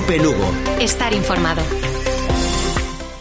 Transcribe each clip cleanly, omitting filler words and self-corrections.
Cope Lugo. Estar informado.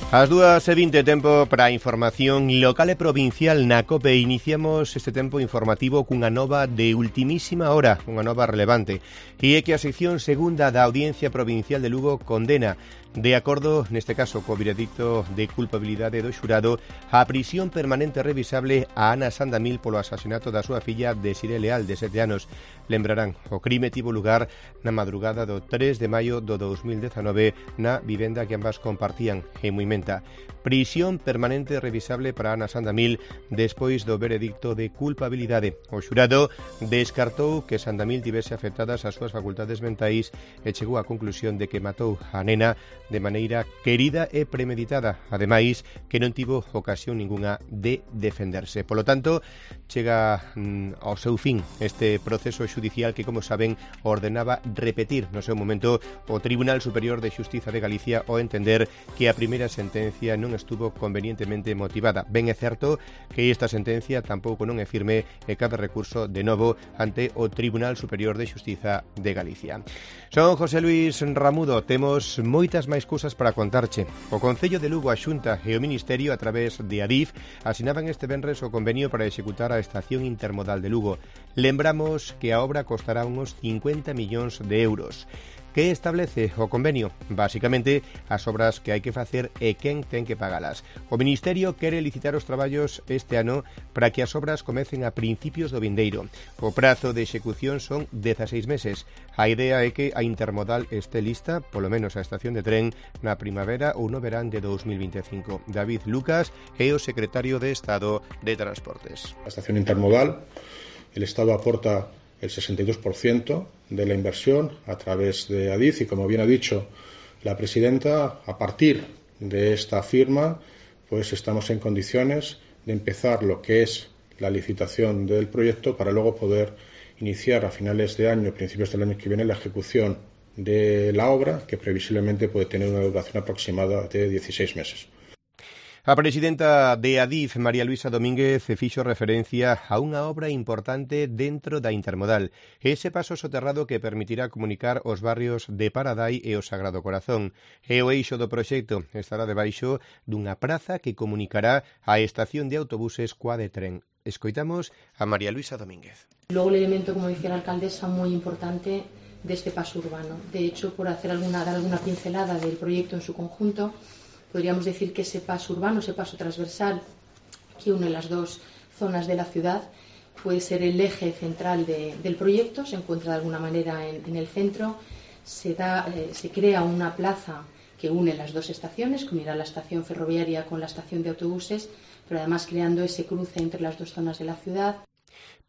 As 2:20, tempo para a información local e provincial na COPE. Iniciamos este tempo informativo cunha nova de ultimísima hora, unha nova relevante, e é que a sección segunda da Audiencia Provincial de Lugo condena, de acordo, neste caso, co veredicto de culpabilidade do xurado, a prisión permanente revisable a Ana Sandamil polo asasinato da súa filla Desiré Leal, de 7 anos. Lembrarán, o crime tivo lugar na madrugada do 3 de maio do 2019 na vivenda que ambas compartían en Muimenta. Prisión permanente revisable para Ana Sandamil despois do veredicto de culpabilidade. O xurado descartou que Sandamil tivese afectadas as súas facultades mentais e chegou á conclusión de que matou a nena de maneira querida e premeditada, ademais que non tivo ocasión ningunha de defenderse. Polo tanto, chega ao seu fin este proceso xudicial que, como saben, ordenaba repetir no seu momento o Tribunal Superior de Xustiza de Galicia ao entender que a primeira sentencia non estuvo convenientemente motivada. Ben é certo que esta sentencia tampouco non é firme e cabe recurso de novo ante o Tribunal Superior de Xustiza de Galicia. Son José Luis Ramudo, temos moitas máis cousas para contarche. O Concello de Lugo, a Xunta e o Ministerio, a través de Adif, asinaban este venres o convenio para executar a estación intermodal de Lugo. Lembramos que a obra costará unos 50 millóns de euros. Que establece o convenio? Básicamente, as obras que hai que facer e quen ten que pagalas. O Ministerio quere licitar os traballos este ano para que as obras comecen a principios do vindeiro. O prazo de execución son 16 meses. A idea é que a intermodal este lista, polo menos a estación de tren, na primavera ou no verán de 2025. David Lucas é o secretario de Estado de Transportes. La estación intermodal, el Estado aporta el 62% de la inversión a través de Adif y, como bien ha dicho la presidenta, a partir de esta firma pues estamos en condiciones de empezar lo que es la licitación del proyecto para luego poder iniciar a finales de año, principios del año que viene, la ejecución de la obra, que previsiblemente puede tener una duración aproximada de 16 meses. A presidenta de Adif, María Luisa Domínguez, fixo referencia a unha obra importante dentro da intermodal, ese paso soterrado que permitirá comunicar os barrios de Paradai e o Sagrado Corazón. E o eixo do proxecto estará debaixo dunha praza que comunicará a estación de autobuses coa de tren. Escoitamos a María Luisa Domínguez. Luego el elemento, como decía la alcaldesa, muy importante de este paso urbano. De hecho, por dar alguna pincelada del proyecto en su conjunto, podríamos decir que ese paso urbano, ese paso transversal que une las dos zonas de la ciudad, puede ser el eje central del proyecto. Se encuentra de alguna manera en el centro. Se crea una plaza que une las dos estaciones, que unirá la estación ferroviaria con la estación de autobuses, pero además creando ese cruce entre las dos zonas de la ciudad.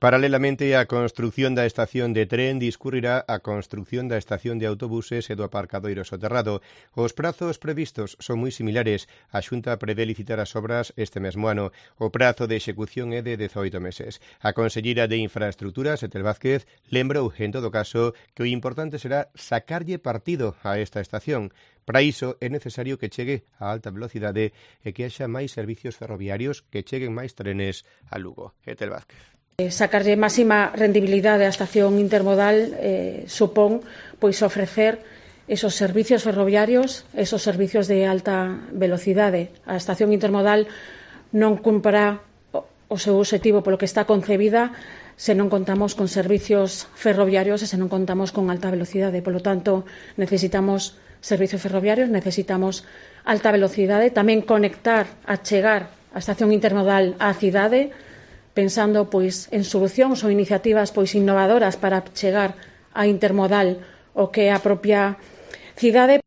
Paralelamente á construción da estación de tren discurrirá a construción da estación de autobuses e do aparcadoiro soterrado. Os prazos previstos son moi similares. A Xunta prevé licitar as obras este mesmo ano. O prazo de execución é de 18 meses. A conselleira de Infraestructuras, Etel Vázquez, lembrou, en todo caso, que o importante será sacarlle partido a esta estación. Para iso é necesario que chegue a alta velocidade e que haxa máis servicios ferroviarios, que cheguen máis trenes a Lugo. Etel Vázquez. Sacarlle máxima rendibilidade á estación intermodal supón pois ofrecer esos servicios ferroviarios, esos servicios de alta velocidade. A estación intermodal non cumprirá o seu obxectivo polo que está concebida se non contamos con servicios ferroviarios e se non contamos con alta velocidade. Polo tanto, necesitamos servicios ferroviarios, necesitamos alta velocidade, tamén conectar, achegar a estación intermodal á cidade, pensando pois en solucións ou iniciativas pois innovadoras para chegar a intermodal o que é a propia cidade.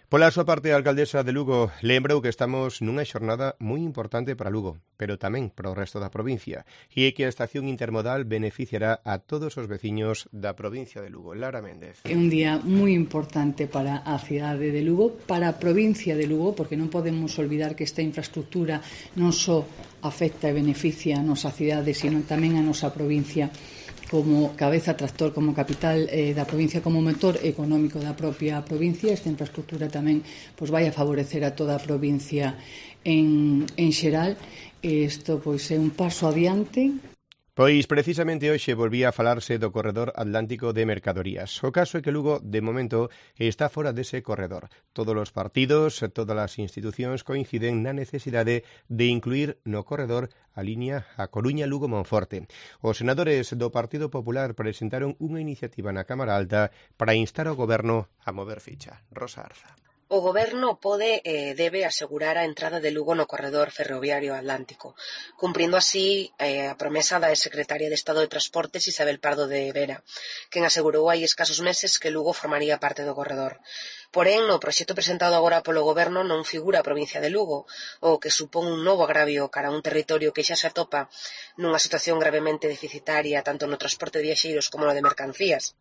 Pola súa parte, a alcaldesa de Lugo lembrou que estamos nunha xornada moi importante para Lugo, pero tamén para o resto da provincia, e é que a estación intermodal beneficiará a todos os veciños da provincia de Lugo. Lara Méndez. É un día moi importante para a cidade de Lugo, para a provincia de Lugo, porque non podemos olvidar que esta infraestructura non só afecta e beneficia a nosa cidade, sino tamén a nosa provincia como cabeza tractor, como capital da provincia, como motor económico da propia provincia. Esta infraestructura tamén pois vai a favorecer a toda a provincia en xeral. Isto pois é un paso adiante. Pois precisamente hoxe volvía a falarse do corredor atlántico de mercadorías. O caso é que Lugo, de momento, está fora dese corredor. Todos os partidos, todas as institucións coinciden na necesidade de incluir no corredor a liña A Coruña-Lugo-Monforte. Os senadores do Partido Popular presentaron unha iniciativa na Cámara Alta para instar ao Goberno a mover ficha. Rosa Arza. O Goberno pode e debe asegurar a entrada de Lugo no corredor ferroviario atlántico, cumprindo así a promesa da secretaria de Estado de Transportes Isabel Pardo de Vera, quen asegurou hai escasos meses que Lugo formaría parte do corredor. Porén, no proxecto presentado agora polo Goberno non figura a provincia de Lugo, o que supón un novo agravio cara a un territorio que xa se atopa nunha situación gravemente deficitaria tanto no transporte de viaxeiros como no de mercancías.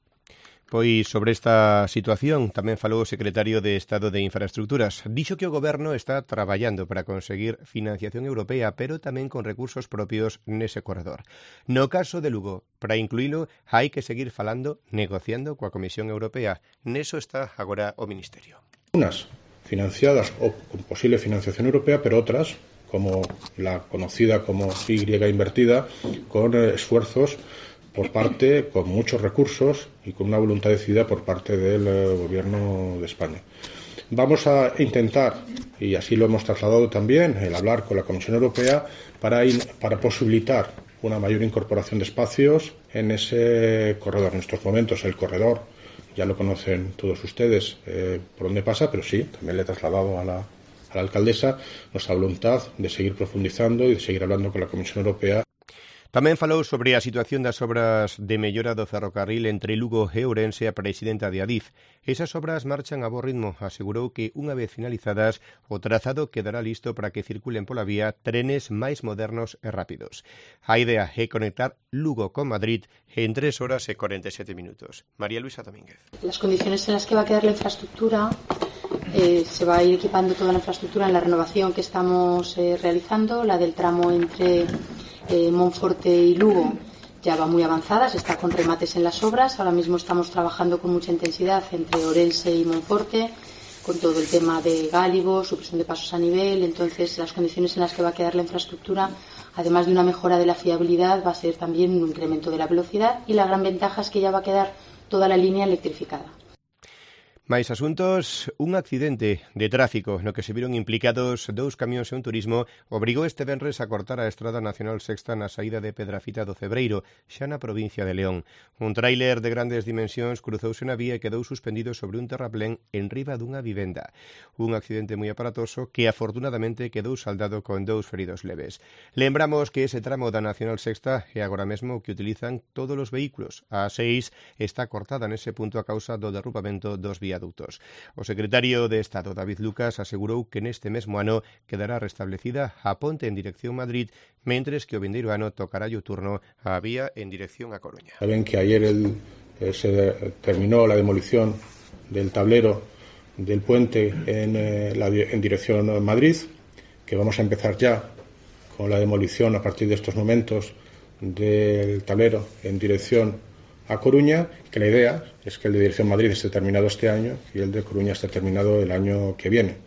Pois sobre esta situación tamén falou o secretario de Estado de Infraestructuras. Dixo que o Goberno está traballando para conseguir financiación europea, pero tamén con recursos propios nese corredor. No caso de Lugo, para incluílo, hai que seguir falando, negociando coa Comisión Europea. Neso está agora o Ministerio. Unas financiadas o con posible financiación europea, pero otras, como la conocida como Y invertida, con esfuerzos por parte, con muchos recursos y con una voluntad decidida por parte del Gobierno de España. Vamos a intentar, y así lo hemos trasladado también, el hablar con la Comisión Europea para posibilitar una mayor incorporación de espacios en ese corredor. En estos momentos el corredor, ya lo conocen todos ustedes por dónde pasa, pero sí, también le he trasladado a la alcaldesa nuestra voluntad de seguir profundizando y de seguir hablando con la Comisión Europea. Tamén falou sobre a situación das obras de mellora do ferrocarril entre Lugo e Ourense a presidenta de Adif. Esas obras marchan a bo ritmo. Asegurou que, unha vez finalizadas, o trazado quedará listo para que circulen pola vía trenes máis modernos e rápidos. A idea é conectar Lugo con Madrid en 3 horas e 47 minutos. María Luisa Domínguez. Las condiciones en las que va a quedar la infraestructura, se va a ir equipando toda la infraestructura en la renovación que estamos realizando, la del tramo entre Monforte y Lugo ya va muy avanzada, se está con remates en las obras. Ahora mismo estamos trabajando con mucha intensidad entre Ourense y Monforte, con todo el tema de gálibo, supresión de pasos a nivel. Entonces, las condiciones en las que va a quedar la infraestructura, además de una mejora de la fiabilidad, va a ser también un incremento de la velocidad, y la gran ventaja es que ya va a quedar toda la línea electrificada. Máis asuntos, un accidente de tráfico no que se viron implicados 2 camións e un turismo obrigou este venres a cortar a Estrada Nacional Sexta na saída de Pedrafita do Cebreiro, xa na provincia de León. Un tráiler de grandes dimensións cruzouse na vía e quedou suspendido sobre un terraplén en riba dunha vivenda. Un accidente moi aparatoso que afortunadamente quedou saldado con 2 feridos leves. Lembramos que ese tramo da Nacional Sexta é agora mesmo que utilizan todos os vehículos. A 6 está cortada nese punto a causa do derrubamento dos viaductos. O secretario de Estado, David Lucas, asegurou que neste mesmo ano quedará restablecida a ponte en dirección Madrid, mentres que o vindeiro ano tocará o turno a vía en dirección a Coruña. Saben que ayer se terminó la demolición del tablero del puente en dirección a Madrid, que vamos a empezar ya con la demolición a partir de estos momentos del tablero en dirección a Coruña, que la idea es que el de dirección Madrid esté terminado este año y el de Coruña esté terminado el año que viene.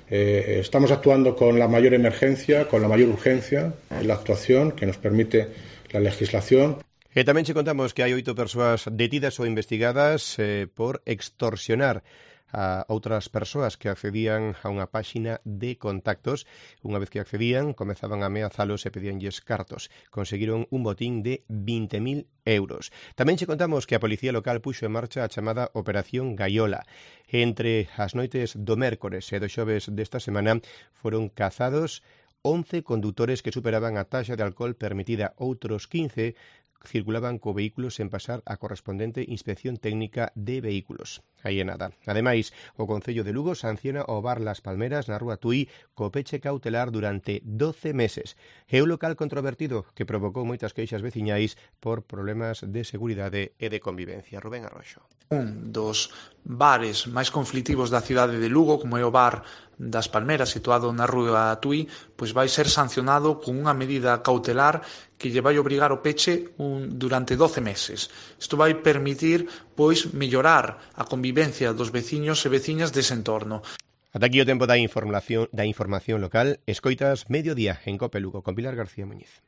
Estamos actuando con la mayor emergencia, con la mayor urgencia en la actuación que nos permite la legislación. E tamén che contamos que hai 8 persoas detidas ou investigadas por extorsionar a outras persoas que accedían a unha páxina de contactos. Unha vez que accedían, comezaban a ameazalos e pedíanlles cartos. Conseguiron un botín de 20.000 euros. Tamén che contamos que a Policía Local puxo en marcha a chamada Operación Gaiola. Entre as noites do mércores e do xoves desta semana foron cazados 11 condutores que superaban a taxa de alcohol permitida. Outros 15 circulaban co vehículo sen pasar a correspondente inspección técnica de vehículos. Aí é nada. Ademais, o Concello de Lugo sanciona o bar Las Palmeras na Rúa Tui co peche cautelar durante 12 meses. É un local controvertido que provocou moitas queixas veciñais por problemas de seguridade e de convivencia. Rubén Arroxo. Un dos bares máis conflitivos da cidade de Lugo, como é o bar das Palmeras, situado na Rúa Tui, pois vai ser sancionado con unha medida cautelar que lle vai obrigar o peche durante 12 meses. Isto vai permitir, pois, mellorar a convivencia dos veciños e veciñas dese entorno. Ata aquí o tempo da información local. Escoitas Mediodía en Cope Lugo con Pilar García Muñiz.